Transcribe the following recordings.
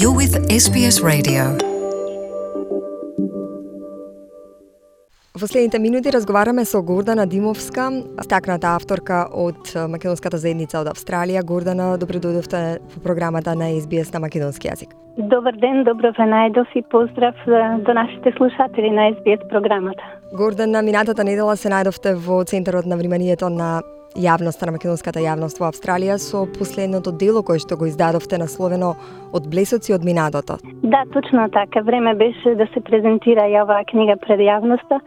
You're with SBS Radio. Во следните минути разговараме со Гордана Димовска, стакната авторка од македонската заедница од Австралија. Гордана, добро дојдовте во програмата на SBS на македонски јазик. Добар ден, добро ве најдов и поздрав до нашите слушатели на SBS програмата. Гордана, минатата недела се најдовте во центарот на вниманието на јавноста, на македонската јавност во Австралија со последното дело кое што го издадовте насловено Од блесоци од минатото. Да, точно така. Време беше да се презентира и оваа книга пред јавноста.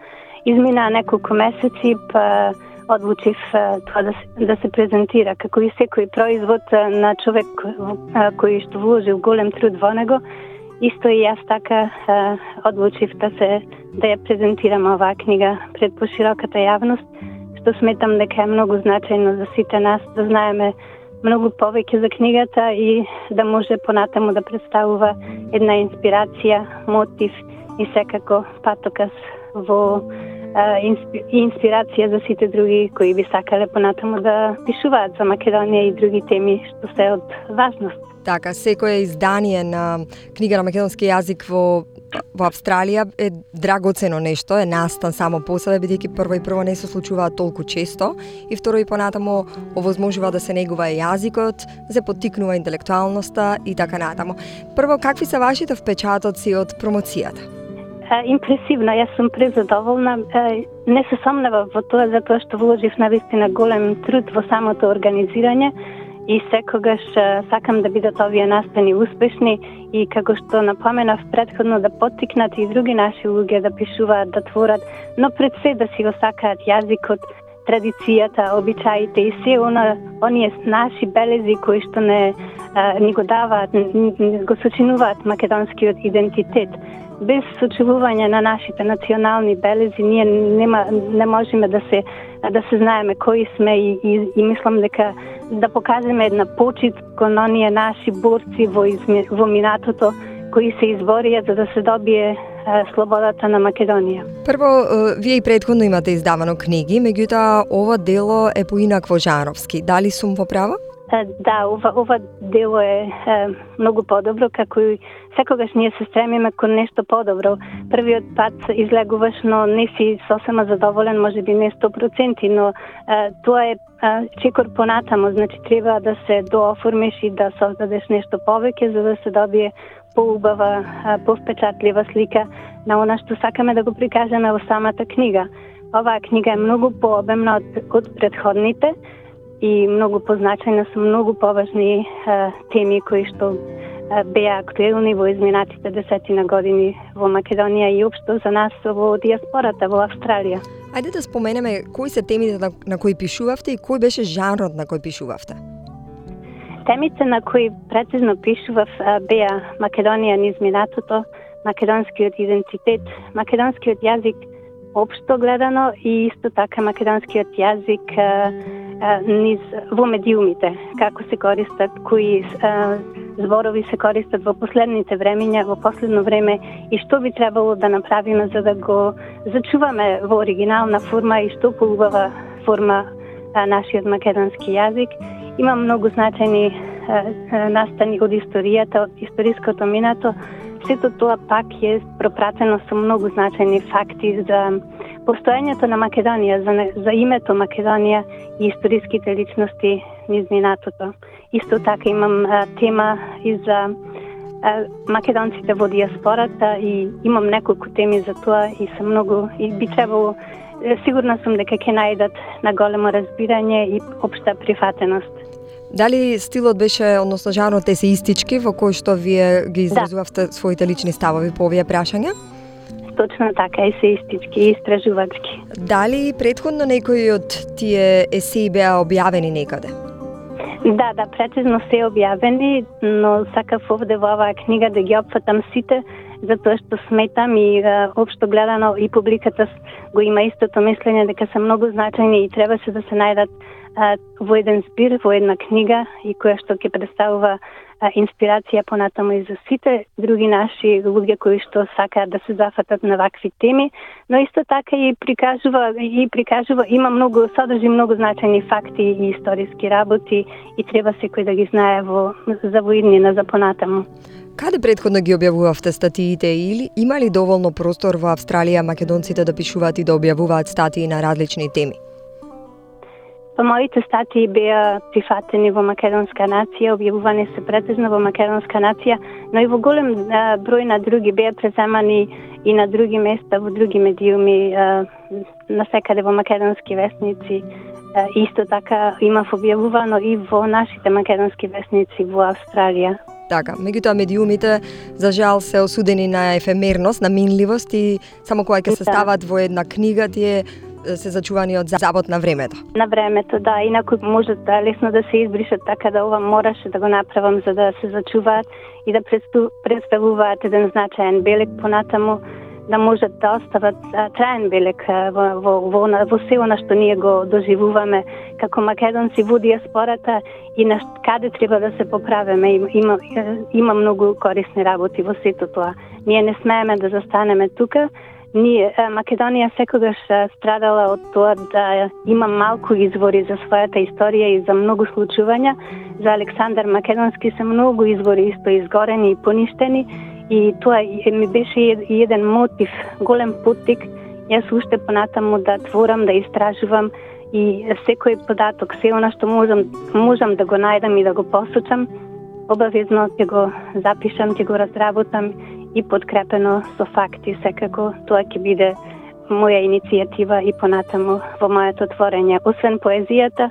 Измина неколку месеци, па одлучив тоа да се презентира. Како и секој производ на човек кој што вложил голем труд во него, исто и јас така одлучив да ја презентирам оваа книга пред пошироката јавност, што сметам дека е многу значајно за сите нас да знаеме многу повеќе за книгата и да може понатаму да представува една инспирација, мотив и секако патоказ во инспирација за сите други кои би сакале понатаму да пишуваат за Македонија и други теми што се од важност. Така, секое издание на книга на македонски јазик во Австралија е драгоцено нешто, е настан само по себе, бидејќи прво не се случуваат толку често и второ и понатаму овозможува да се негува јазикот, се поттикнува интелектуалноста и така натаму. Прво, какви се вашите впечатоци од промоцијата? Импресивно, јас сум презадоволна. Не се сомневам во тоа затоа што вложив навистина голем труд во самото организирање и секогаш сакам да бидат овие настани успешни и како што напоменав претходно да поттикнат и други наши луѓе да пишуваат, да творат, но пред се да си го сакаат јазикот, традицијата, обичаите и се оние наши белези кои што ни го даваат, го сочинуваат македонскиот идентитет. Без сочувување на нашите национални белези ние не можеме да се знаеме кои сме и мислам дека да покажеме една почит кон оние наши борци во минатото кои се изборија за да се добие слободата на Македонија. Прво, вие и претходно имате издавано книги, меѓутоа ова дело е поинакво жанровски. Дали сум во право? Да, ова дело е многу подобро, како и секогаш ние се стремиме кон нешто подобро. Првиот пат излегуваш, но не си сосема задоволен, може би не 100%, но тоа е чекор понатамо, значи треба да се дооформиш и да создадеш нешто повеќе за да се добие поубава, повпечатлива слика на она што сакаме да го прикажеме во самата книга. Оваа книга е многу пообемна од претходните и многу позначајни се многу поважни теми кои што беа актуелни во изминатите десетина години во Македонија и општо за нас во диаспората во Австралија. Ајде да споменеме кои се темите на кои пишувавте и кој беше жанрот на кој пишувавте. Темите на кои прецизно пишував беа Македонија низ минатото, македонскиот идентитет, македонскиот јазик општо гледано и исто така македонскиот јазик низ во медиумите, како се користат, кои зборови се користат во последните времиња, во последно време и што би требало да направиме за да го зачуваме во оригинална форма и што поубава форма нашиот македонски јазик. Има многу значајни настани од историјата, од историското минато. Сето тоа пак е пропратено со многу значајни факти за постоењето на Македонија, за името Македонија и историските личности низ минатото. Исто така имам тема и за македонците во диаспората и имам неколку теми за тоа и се многу и би требало, сигурна сум дека ќе најдат на големо разбирање и општа прифатеност. Дали стилот беше, односно жанрот есеистички во кој што вие ги изразувавте своите лични ставови по овие прашања? Точно така, есеистички и истражувачки. Дали претходно некои од тие есеи беа објавени некаде? Да, прецизно се објавени, но сакав овде во оваа книга да ги опфатам сите, затоа што сметам и општо гледано и публиката го има истото мислење дека се многу значајни и треба се да се најдат во еден збир, во една книга и која што ќе представува инспирација понатаму и за сите други наши луѓе кои што сакаат да се зафатат на вакви теми, но исто така и прикажува има содржи многу значајни факти и историски работи и треба секој да ги знае за иднина за понатаму. Каде претходно ги објавувавте статиите или има ли доволно простор во Австралија македонците да пишуваат и да објавуваат статии на различни теми? Моите статии беа прифатени во Македонска нација, објавувани се претежно во Македонска нација, но и во голем број на други беа преземани и на други места, во други медиуми, насекаде во македонски весници. Исто така имав објавувано и во нашите македонски весници во Австралија. Така, меѓутоа медиумите за жал се осудени на ефемерност, на минливост и само кога ќе се стават во една книга тие се зачувани од забот на времето. На времето, да. Инаку може лесно да се избришат, така да ова мораше да го направам за да се зачуваат и да представуваат еден значаен белег понатаму, да можат да остават траен белег во се она што ние го доживуваме како македонци во диаспората и на каде треба да се поправиме. Има многу корисни работи во сето тоа. Ние не смееме да застанеме тука. Македонија секогаш страдала од тоа да има малку извори за својата историја и за многу случувања. За Александар Македонски се многу извори исто изгорени и поништени и тоа ми беше еден мотив, голем поттик. Јас уште понатаму да творам, да истражувам и секој податок, се она што можам да го најдам и да го посочам, обавезно ќе го запишам, ќе го разработам и подкрепено со факти. Секако тоа ќе биде моја иницијатива и понатаму во моето творење. Освен поезијата,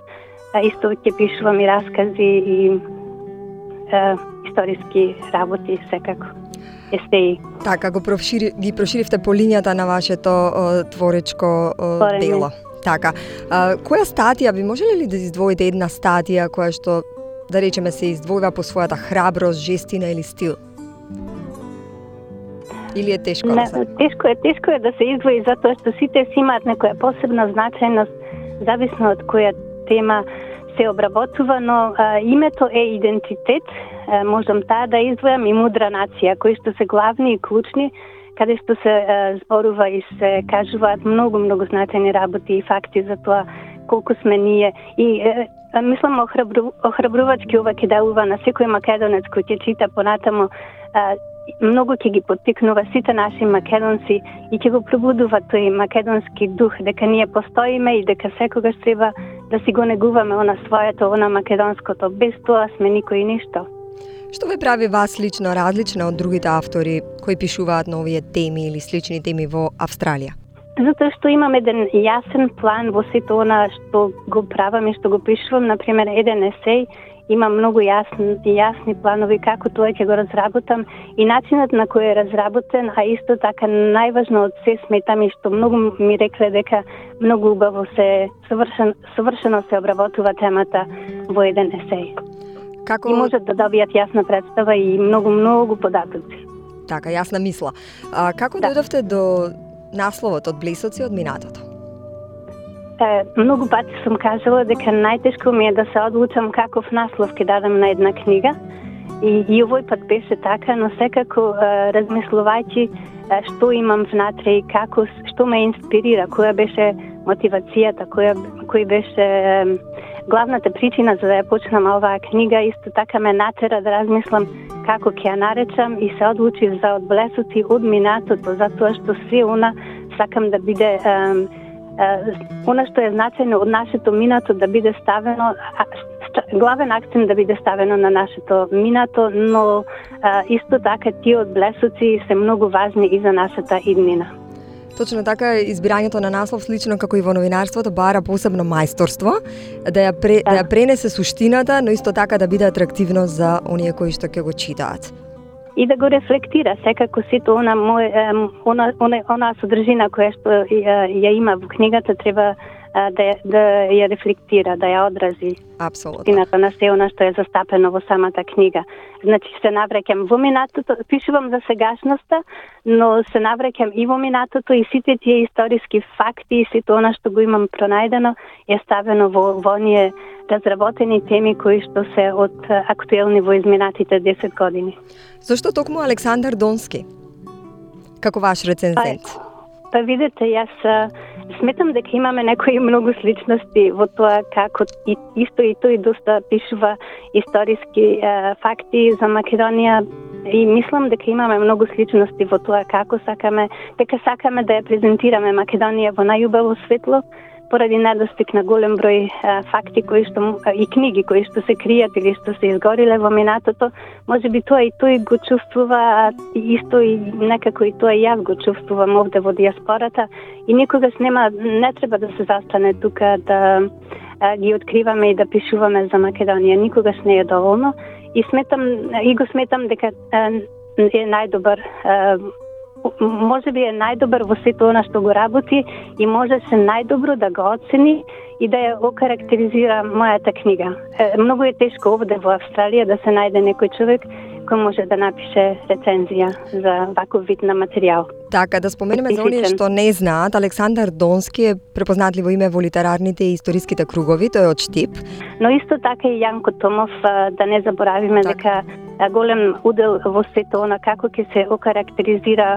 исто ќе пишувам и раскази и историски работи секако. Естеи. Така, ги проширивте по линијата на вашето творечко дело. Така, која статија би можеле ли да издвоите една статија која што, да речеме, се издвојува по својата храброст, жестина или стил? Или е тешко? Тешко е да се издвои затоа што сите си имаат некоја посебна значајност, зависно од која тема се обработува, но името е идентитет, можам таа да издвојам, и мудра нација, кои што се главни и клучни, каде што се зборува и се кажуваат многу значајни работи и факти за тоа колку сме ние. И мислам охрабрувачки ова ќе делува на секој македонец кој ќе чита понатаму, многу ќе ги поттикнува сите наши македонци и ќе го пробудува тој македонски дух, дека ние постоиме и дека секогаш треба да си го негуваме она своето, она македонското. Без тоа сме никој ништо. Што ве прави вас лично различна од другите автори кои пишуваат на овие теми или слични теми во Австралија? Затоа што имам еден јасен план во сето она што го правам и што го пишувам. Например, еден есеј има многу јасни планови како тоа ќе го разработам и начинот на кој е разработен, а исто така најважно од се сметам и што многу ми рекле дека многу убаво совршено се обработува темата во еден есеј. И можат да добијат јасна представа и многу податоци. Така, јасна мисла. Како дојдовте до насловот од Блесоци од минатото? Многу пати сум кажала дека најтешко ми е да се одлучам каков наслов ќе дадам на една книга и овој пат беше така, но секако размислувајќи што имам внатре и што ме инспирира, која беше мотивацијата, кој беше главната причина за да ја почнам оваа книга, исто така ме натера да размислам како ќе ја наречам и се одлучив за од Блесоци од минатото, затоа што се она сакам да биде она што е значајно од нашето минато да биде ставено, главен акцент да биде ставено на нашето минато, но исто така тие од Блесоци се многу важни и за нашата иднина. Точно така, избирањето на наслов, слично како и во новинарството, бара посебно мајсторство, да ја пренесе суштината, но исто така да биде атрактивно за оние кои што ќе го читаат. И да го рефлектира секако сето она содржина која што ја има во книгата треба да ја рефлектира, да ја одрази. Апсолутно. Истината на се она што е застапено во самата книга. Значи се навраќам во минатото, пишувам за сегашноста, но се навраќам и во минатото и сите тие историски факти и сите она што го имам пронајдено е ставено во оние разработени теми кои што се од актуелни во изминатите 10 години. Зошто токму Александар Донски? Како ваш рецензент? Па видете, јас сметам дека имаме некои многу сличности во тоа како исто и тој доста пишува историски факти за Македонија и мислам дека имаме многу сличности во тоа како сакаме да ја презентираме Македонија во најубаво светло, поради недостиг на голем број факти кои што и книги кои што се кријат или што се изгориле во минатото, можеби тоа и тој го чувствува исто и некако и тоа и јас го чувствувам овде во диаспората и никогаш не треба да се застане тука да ги откриваме и да пишуваме за Македонија, никогаш не е доволно и го сметам дека е најдобар можеби е најдобар во сето она што го работи и можеше најдобро да го оцени и да ја окарактеризира мојата книга. Многу е тешко овде во Австралија да се најде некој човек кој може да напише рецензија за ваков вид на материјал. Така, да споменеме за оние што не знаат, Александар Донски е препознатливо име во литерарните и историските кругови, тој е од Штип. Но исто така и Јанко Томов, да не заборавиме дека голем удел во сето она како ќе се окарактеризира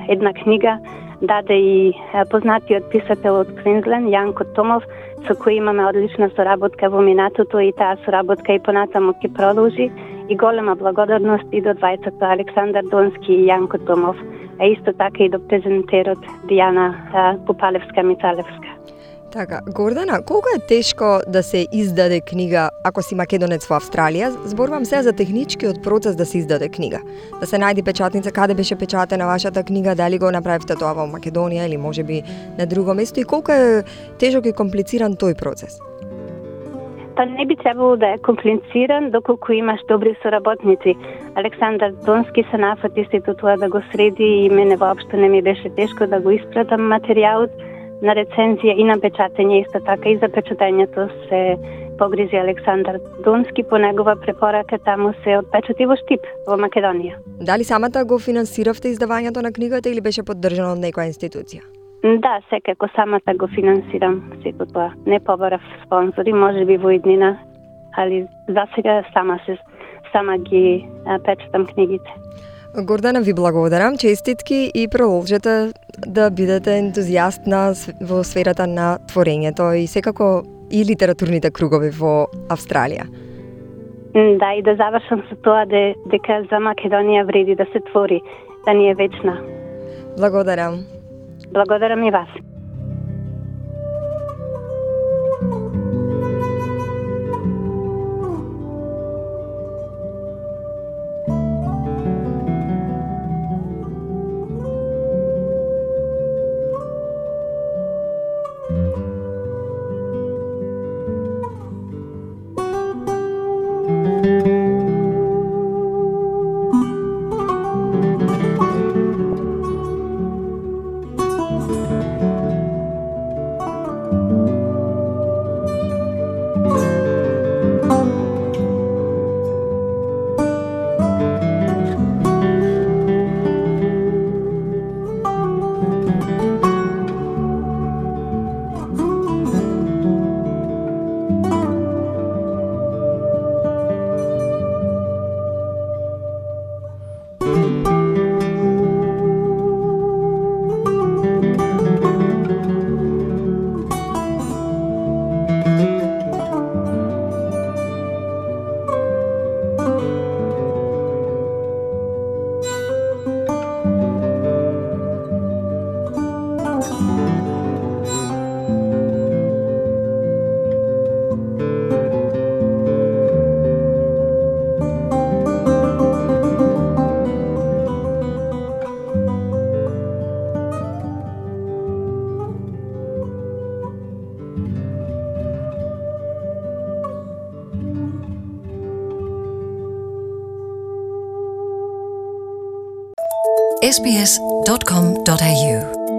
една книга даде и познатиот писател од Квинсленд, Јанко Томов, со кој имаме одлична соработка во минатото и таа соработка и понатаму ќе продолжи и голема благодарност и до двајцата Александар Донски и Јанко Томов, а исто така и до презентерот Дијана Пупалевска-Мицалевска. Така, Гордана, колку е тешко да се издаде книга ако си македонец во Австралија? Зборувам се за техничкиот процес да се издаде книга. Да се најде печатница, каде беше печатена вашата книга, дали го направивте тоа во Македонија или можеби на друго место и колку е тежок и комплициран тој процес? Па не би требало да е комплициран доколку имаш добри соработници. Александар Донски се нафати сето тоа да го среди и мене воопшто не ми беше тешко да го испратам материјалот на рецензија и на печатење, исто така и за печатењето се погрижи Александар Донски, по негова препорака таму се отпечати во Штип, во Македонија. Дали самата го финансиравте издавањето на книгата или беше поддржано од некоја институција? Да, секако самата го финансирам сето тоа. Не побарав спонзори, можеби во иднина, али за сега сама ги печатам книгите. Гордана, ви благодарам, честитки и продолжете да бидете ентузијаст во сферата на творењето и секако и литературните кругови во Австралија. Да, и да завршам со тоа дека за Македонија вреди да се твори, да ни е вечна. Благодарам. Благодарам и вас. sbs.com.au